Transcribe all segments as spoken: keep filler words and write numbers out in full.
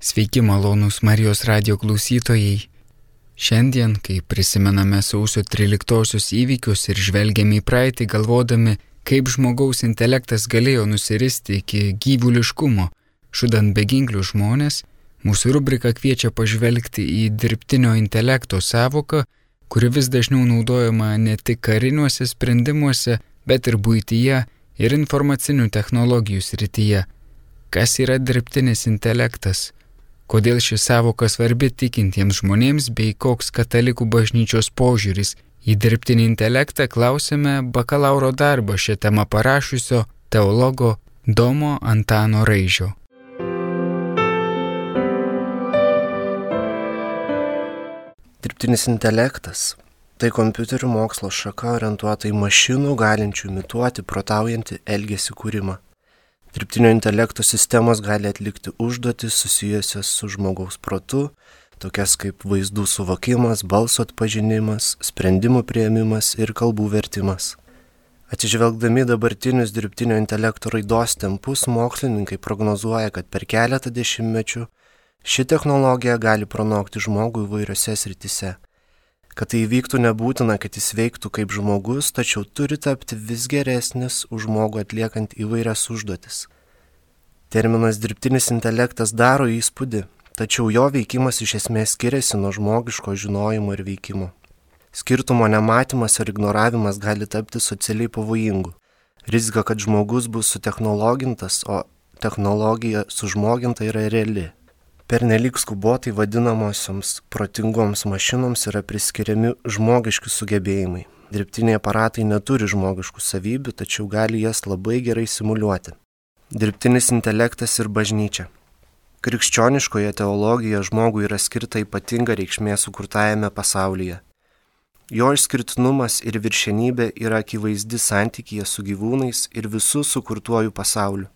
Sveiki, malonūs Marijos radijo klausytojai. Šiandien, kai prisimename sausio tryliktosios įvykius ir žvelgiame į praeitį galvodami, kaip žmogaus intelektas galėjo nusiristi iki gyvuliškumo, žudant beginklių žmonės, mūsų rubrika kviečia pažvelgti į dirbtinio intelekto sąvoką, kuri vis dažniau naudojama ne tik kariniuose sprendimuose, bet ir buityje ir informacinių technologijų srityje. Kas yra dirbtinis intelektas? Kodėl ši sąvoka svarbi tikintiems žmonėms bei koks katalikų bažnyčios požiūris į dirbtinį intelektą, klausime bakalauro darbą šią temą parašiusio teologo Domo Antano Raižio. Dirbtinis intelektas – tai kompiuterių mokslo šaka orientuota į mašinų galinčių imituoti protaujantį elgesį kūrimą. Dirbtinio intelekto sistemos gali atlikti užduotis susijusias su žmogaus protu, tokias kaip vaizdų suvokimas, balso atpažinimas, sprendimų priėmimas ir kalbų vertimas. Atsižvelgdami dabartinius dirbtinio intelekto raidos tempus, mokslininkai prognozuoja, kad per keletą dešimtmečių ši technologija gali pranokti žmogų įvairiose srityse. Kad tai įvyktų, nebūtina, kad jis veiktų kaip žmogus, tačiau turi tapti vis geresnis už žmogų atliekant įvairias užduotis. Terminas dirbtinis intelektas daro įspūdį, tačiau jo veikimas iš esmės skiriasi nuo žmogiško žinojimo ir veikimo. Skirtumo nematymas ir ignoravimas gali tapti socialiai pavojingu. Rizika, kad žmogus bus sutechnologintas, o technologija sužmoginta yra reali. Pernelyg skubotai vadinamosioms protingoms mašinoms yra priskiriami žmogiški sugebėjimai. Dirbtiniai aparatai neturi žmogiškų savybių, tačiau gali jas labai gerai simuliuoti. Dirbtinis intelektas ir bažnyčia. Krikščioniškoje teologijoje žmogui yra skirta ypatinga reikšmė sukurtajame pasaulyje. Jo išskirtinumas ir viršenybė yra akivaizdi santykyje su gyvūnais ir visų sukurtuoju pasauliu,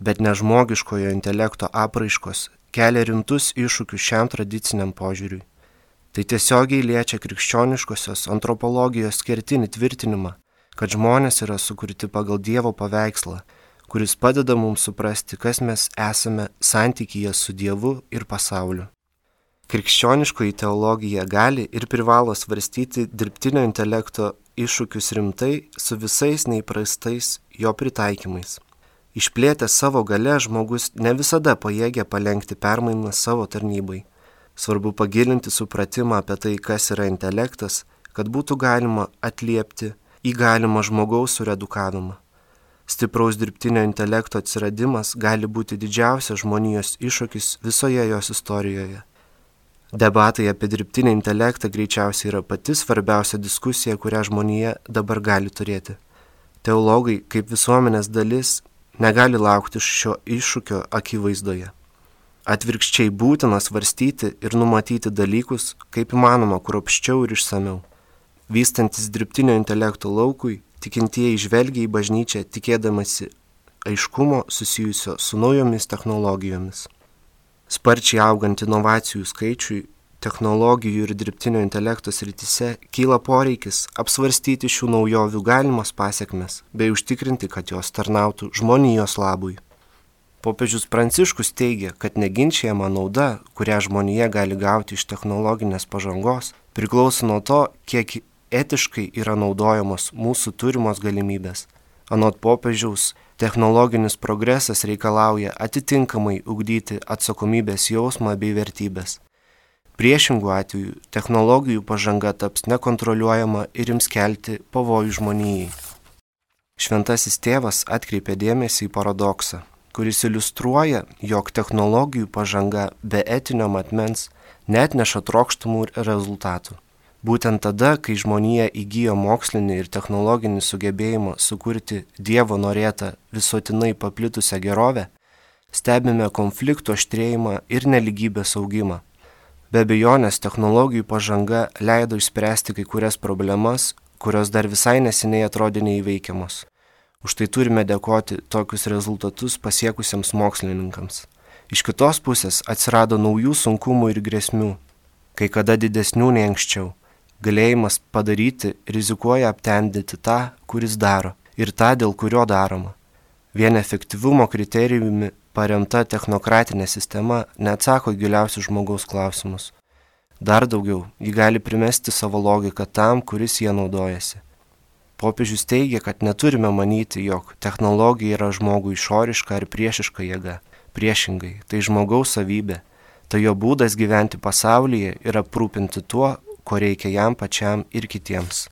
bet ne žmogiškojo intelekto apraiškos kelia rimtus iššūkius šiam tradiciniam požiūriui. Tai tiesiogiai liečia krikščioniškosios antropologijos kertinį tvirtinimą, kad žmonės yra sukurti pagal Dievo paveikslą, kuris padeda mums suprasti, kas mes esame santykyje su Dievu ir pasauliu. Krikščioniškoji teologija gali ir privalo svarstyti dirbtinio intelekto iššūkius rimtai su visais neįprastais jo pritaikymais. Išplėtęs savo galia, žmogus ne visada pajėgia palenkti permainas savo tarnybai. Svarbu pagilinti supratimą apie tai, kas yra intelektas, kad būtų galima atliepti į galimą žmogaus suredukavimą. Stipraus dirbtinio intelekto atsiradimas gali būti didžiausias žmonijos iššūkis visoje jos istorijoje. Debatai apie dirbtinį intelektą greičiausiai yra pati svarbiausia diskusija, kurią žmonija dabar gali turėti. Teologai, kaip visuomenės dalis, negali laukti šio iššūkio akivaizdoje. Atvirkščiai būtina svarstyti ir numatyti dalykus, kaip įmanoma kruopščiau ir išsamiau. Vystantis dirbtinio intelekto laukui, tikintieji žvelgia į bažnyčią tikėdamasi aiškumo susijusio su naujomis technologijomis. Sparčiai augant inovacijų skaičiui, technologijų ir dirbtinio intelekto srityse kyla poreikis apsvarstyti šių naujovių galimas pasekmes bei užtikrinti, kad jos tarnautų žmonijos labui. Popiežius Pranciškus teigia, kad neginčijama nauda, kurią žmonija gali gauti iš technologinės pažangos, priklauso nuo to, kiek etiškai yra naudojamos mūsų turimos galimybės. Anot popiežiaus, technologinis progresas reikalauja atitinkamai ugdyti atsakomybės jausmą bei vertybės. Priešingų atveju technologijų pažanga taps nekontroliuojama ir ims kelti pavojų žmonijai. Šventasis tėvas atkreipė dėmesį į paradoksą, kuris iliustruoja, jog technologijų pažanga be etinio matmens neatneša trokštamų rezultatų. Būtent tada, kai žmonija įgijo mokslinį ir technologinį sugebėjimą sukurti Dievo norėtą visuotinai paplitusią gerovę, stebime konflikto aštrėjimą ir nelygybės augimą. Be abejonės, technologijų pažanga leido išspręsti kai kurias problemas, kurios dar visai neseniai atrodė neįveikiamos. Už tai turime dėkoti tokius rezultatus pasiekusiems mokslininkams. Iš kitos pusės atsirado naujų sunkumų ir grėsmių, kai kada didesnių nei anksčiau. Galėjimas padaryti rizikuoja aptemdyti tą, kuris daro, ir tą, dėl kurio daroma. Vien efektyvumo kriterijumi paremta technokratinė sistema neatsako giliausius žmogaus klausimus. Dar daugiau, ji gali primesti savo logiką tam, kuris jie naudojasi. Popiežius teigia, kad neturime manyti, jog technologija yra žmogui išoriška ar priešiška jėga. Priešingai, tai žmogaus savybė, tai jo būdas gyventi pasaulyje ir aprūpinti tuo, ko reikia jam pačiam ir kitiems.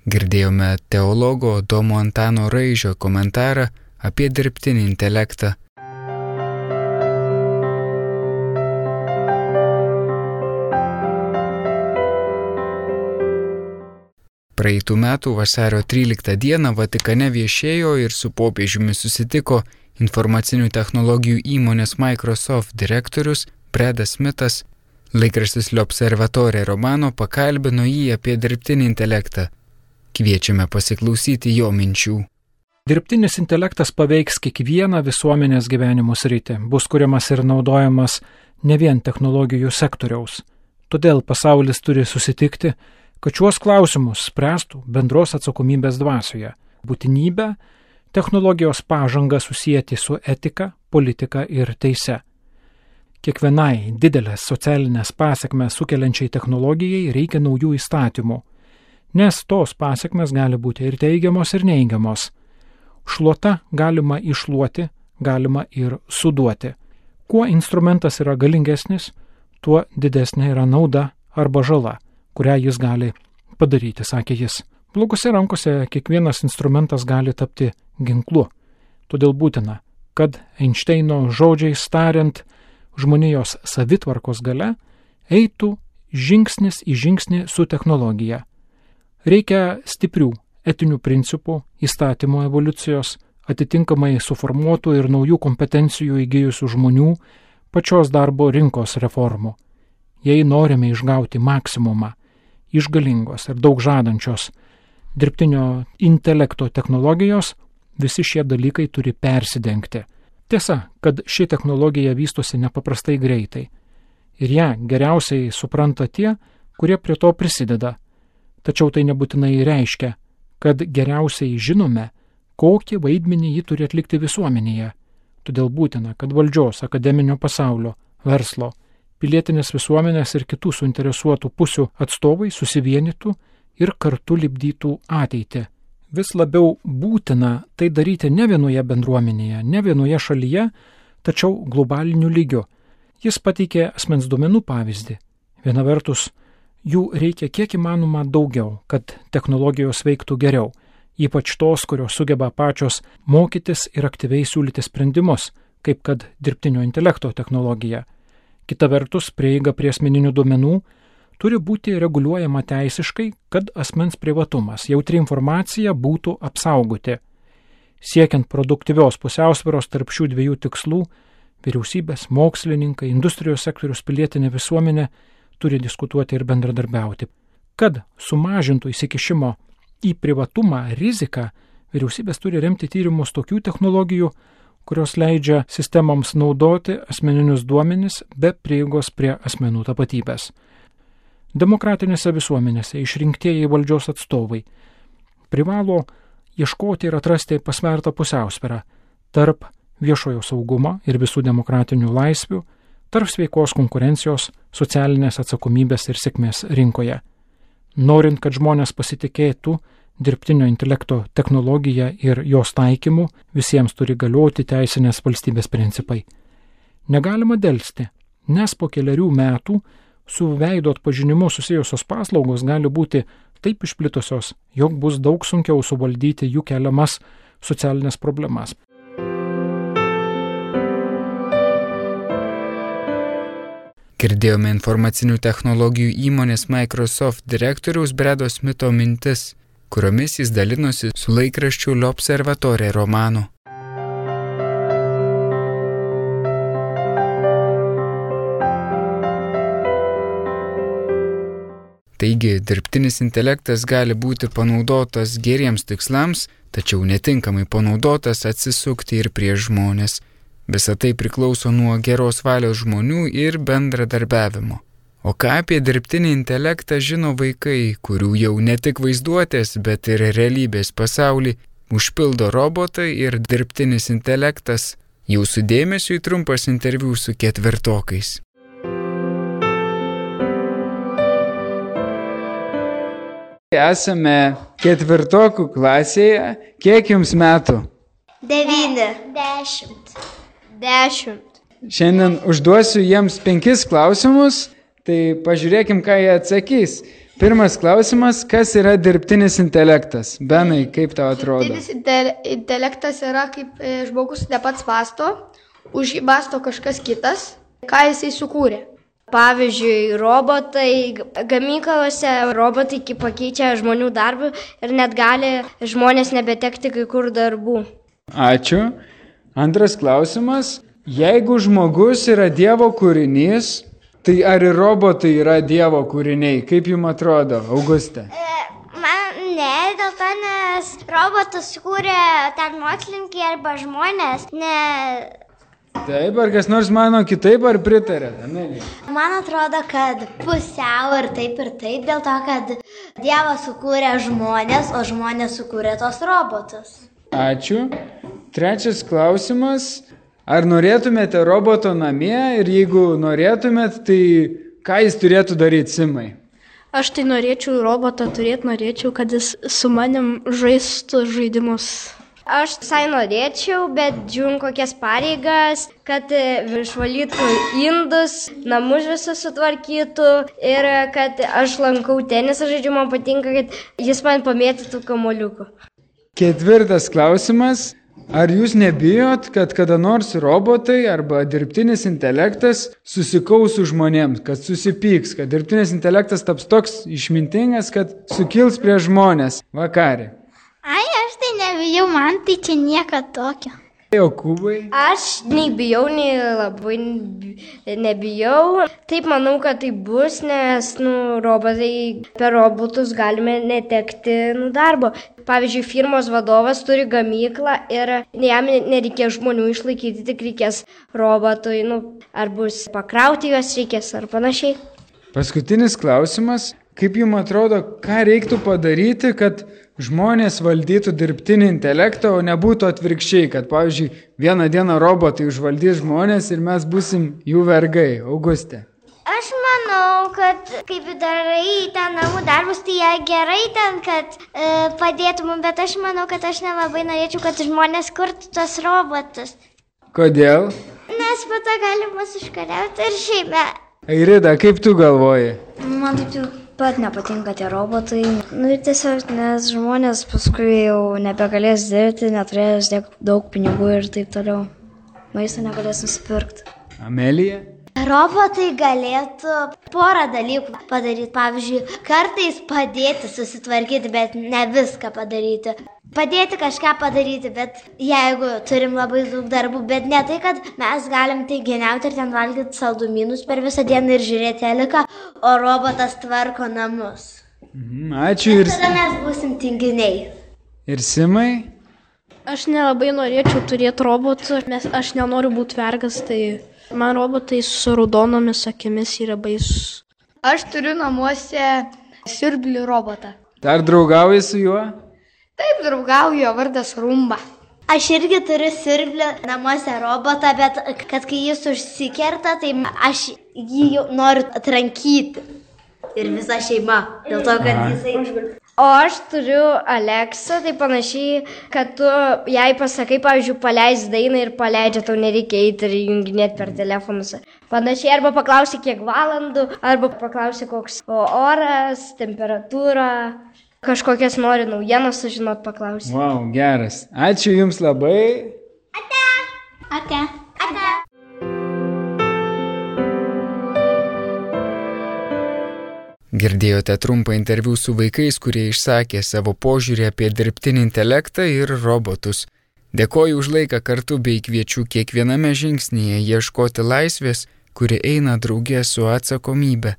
Girdėjome teologo Domo Antano Raižio komentarą apie dirbtinį intelektą. Praeitų metų vasario tryliktą dieną Vatikane viešėjo ir su popiežiumi susitiko informacinių technologijų įmonės Microsoft direktorius Bredas Smithas. Laikraštis L'Observatore Romano pakalbino jį apie dirbtinį intelektą. Kviečiame pasiklausyti jo minčių. Dirbtinis intelektas paveiks kiekvieną visuomenės gyvenimo sritį, bus kuriamas ir naudojamas ne vien technologijų sektoriaus. Todėl pasaulis turi susitikti, kad šiuos klausimus spręstų bendros atsakomybės dvasioje. Būtinybę technologijos pažangą susijęti su etika, politika ir teise. Kiekvienai didelės socialinės pasekmes sukeliančiai technologijai reikia naujų įstatymų, nes tos pasekmes gali būti ir teigiamos, ir neigiamos. Šluota galima iššluoti, galima ir suduoti. Kuo instrumentas yra galingesnis, tuo didesnė yra nauda arba žala, kurią jis gali padaryti, sakė jis. Blogose rankose kiekvienas instrumentas gali tapti ginklu. Todėl būtina, kad Einšteino žodžiais tariant, žmonijos savitvarkos galia eitų žingsnis į žingsnį su technologija. Reikia stiprių etinių principų, įstatymų evoliucijos, atitinkamai suformuotų ir naujų kompetencijų įgijusių žmonių, pačios darbo rinkos reformų. Jei norime išgauti maksimumą iš galingos ir daug žadančios dirbtinio intelekto technologijos, visi šie dalykai turi persidengti. Tiesa, kad ši technologija vystosi nepaprastai greitai ir ją geriausiai supranta tie, kurie prie to prisideda. Tačiau tai nebūtinai reiškia, kad geriausiai žinome, kokį vaidmenį ji turi atlikti visuomenėje. Todėl būtina, kad valdžios, akademinio pasaulio, verslo, pilietinės visuomenės ir kitų suinteresuotų pusių atstovai susivienytų ir kartu lipdytų ateitį. Vis labiau būtina tai daryti ne vienoje bendruomenėje, ne vienoje šalyje, tačiau globaliniu lygiu. Jis pateikė asmens duomenų pavyzdį. Viena vertus, jų reikia kiek įmanoma daugiau, kad technologijos veiktų geriau, ypač tos, kurios sugeba pačios mokytis ir aktyviai siūlyti sprendimus, kaip kad dirbtinio intelekto technologija. Kita vertus, prieiga prie asmeninių duomenų turi būti reguliuojama teisiškai, kad asmens privatumas, jautri informacija būtų apsaugoti. Siekiant produktyvios pusiausvyros tarp šių dviejų tikslų, vyriausybės, mokslininkai, industrijos sektorius, pilietinė visuomenė turi diskutuoti ir bendradarbiauti. Kad sumažintų įsikišimo į privatumą riziką, vyriausybės turi remti tyrimus tokių technologijų, kurios leidžia sistemoms naudoti asmeninius duomenis be prieigos prie asmenų tapatybės. Demokratinėse visuomenėse išrinktieji valdžios atstovai privalo ieškoti ir atrasti pasvertą pusiausvyrą tarp viešojo saugumo ir visų demokratinių laisvių, tarp sveikos konkurencijos, socialinės atsakomybės ir sėkmės rinkoje. Norint, kad žmonės pasitikėtų dirbtinio intelekto technologija ir jos taikymu, visiems turi galioti teisinės valstybės principai. Negalima delsti, nes po keliarių metų su veido atpažinimu susijusios paslaugos gali būti taip išplitusios, jog bus daug sunkiau suvaldyti jų keliamas socialinės problemas. Girdėjome informacinių technologijų įmonės Microsoft direktoriaus Bredo Smitho mintis, kuriomis jis dalinosi su laikraščiu L'Observatore Romano. Taigi, dirbtinis intelektas gali būti panaudotas geriems tikslams, tačiau netinkamai panaudotas atsisukti ir prieš žmonės. Visa tai priklauso nuo geros valios žmonių ir bendradarbiavimo. O ką apie dirbtinį intelektą žino vaikai, kurių jau ne tik vaizduotės, bet ir realybės pasaulį užpildo robotai ir dirbtinis intelektas, Jūsų dėmesiui trumpas interviu su ketvirtokais. Esame ketvirtokų klasėje. Kiek jums metų? Devyni. Dešimt. Dešimt. Šiandien užduosiu jiems penkis klausimus, tai pažiūrėkim, ką jie atsakys. Pirmas klausimas, kas yra dirbtinis intelektas? Benai, kaip tau atrodo? Dirbtinis inte- intelektas yra kaip e, žmogus ne pats mąsto, už jį mąsto kažkas kitas, ką jisai sukūrė. Pavyzdžiui, robotai, gamyklose robotai pakeičia žmonių darbą ir net gali žmonės nebetekti kai kur darbų. Ačiū. Antras klausimas, jeigu žmogus yra Dievo kūrinys, tai ar ir robotai yra Dievo kūriniai? Kaip jums atrodo, Auguste? Man ne, dėl to, nes robotus sukūrė ten mokslininkai arba žmonės, ne... Taip, ar kas nors mano kitaip, ar pritarėt? Amelija? Man atrodo, kad pusiau ir taip ir taip, dėl to, kad Dievas sukūrė žmonės, o žmonės sukūrė tos robotus. Ačiū. Trečias klausimas, ar norėtumėte roboto namie ir jeigu norėtumėt, tai ką jis turėtų daryti, Simai? Aš tai norėčiau robotą turėti, norėčiau, kad jis su manim žaistų žaidimus. Aš visai norėčiau, bet žiūrim kokias pareigas, kad išvalytų indus, namus visus sutvarkytų ir kad aš lankau tenisą žaidžiu, man patinka, kad jis man pamėtytų kamuoliukų. Ketvirtas klausimas, ar jūs nebijot, kad kada nors robotai arba dirbtinis intelektas susikaus su žmonėms, kad susipyks, kad dirbtinis intelektas taps toks išmintingas, kad sukils prie žmonės vakarė? Ai, aš tai nebijau, man tai čia nieko tokio. Jokūbai? Aš nei bijau, nei labai nebijau. Taip manau, kad tai bus, nes nu, robotai, per robotus galime netekti nu, darbo. Pavyzdžiui, firmos vadovas turi gamyklą ir jam nereikės žmonių išlaikyti, tik reikės robotui, nu, ar bus pakrauti juos reikės ar panašiai. Paskutinis klausimas, kaip jums atrodo, ką reiktų padaryti, kad žmonės valdytų dirbtinį intelektą, o nebūtų atvirkščiai, kad, pavyzdžiui, vieną dieną robotai užvaldys žmonės ir mes būsim jų vergai. Auguste? Aš manau, kad kaip darai ten namų darbus, tai jie gerai ten, kad e, padėtų mums, bet aš manau, kad aš nelabai norėčiau, kad žmonės kurtų tos robotus. Kodėl? Nes po to gali mus užkariauti ir šiaip. Airida, kaip tu galvoji? Man taip jau pat nepatinka tie robotai. Nu ir tiesiog, nes žmonės paskui jau nebegalės dirbti, neturės daug pinigų ir taip toliau. Maisto negalės nusipirkti. Amelija? Robotai galėtų porą dalykų padaryti. Pavyzdžiui, kartais padėti susitvarkyti, bet ne viską padaryti. Padėti kažką padaryti, bet jeigu turim labai daug darbų, bet ne tai, kad mes galim tai geniauti ir ten valgyti saldumynus per visą dieną ir žiūrėti teliką, o robotas tvarko namus. Mhm, ačiū ir... Tada mes būsim tinginiai. Ir Simai? Aš nelabai norėčiau turėti robotų, nes aš nenoriu būti vergas, tai man robotai su raudonomis akimis yra baisus. Aš turiu namuose siurblį robotą. Dar draugauji su juo? Taip, draugauju, jo vardas Rumba. Aš irgi turiu siurblį namuose robotą, bet kad kai jis užsikerta, tai aš jį jau noriu atrankyti. Ir visa šeima, dėl to, kad jisai... O aš turiu Aleksą, tai panašiai, kad tu jai pasakai, pavyzdžiui, paleis dainą ir paleidžia, tau nereikia eiti ir junginėti per telefonus. Panašiai, arba paklausi kiek valandų, arba paklausi koks oras, temperatūra, kažkokias nori naujienas sužinot, paklausi. Vau, wow, geras. Ačiū jums labai. Ate. Ate. Ate. Girdėjote trumpą interviu su vaikais, kurie išsakė savo požiūrį apie dirbtinį intelektą ir robotus. Dėkoju už laiką kartu bei kviečiu kiekviename žingsnyje ieškoti laisvės, kuri eina draugė su atsakomybė.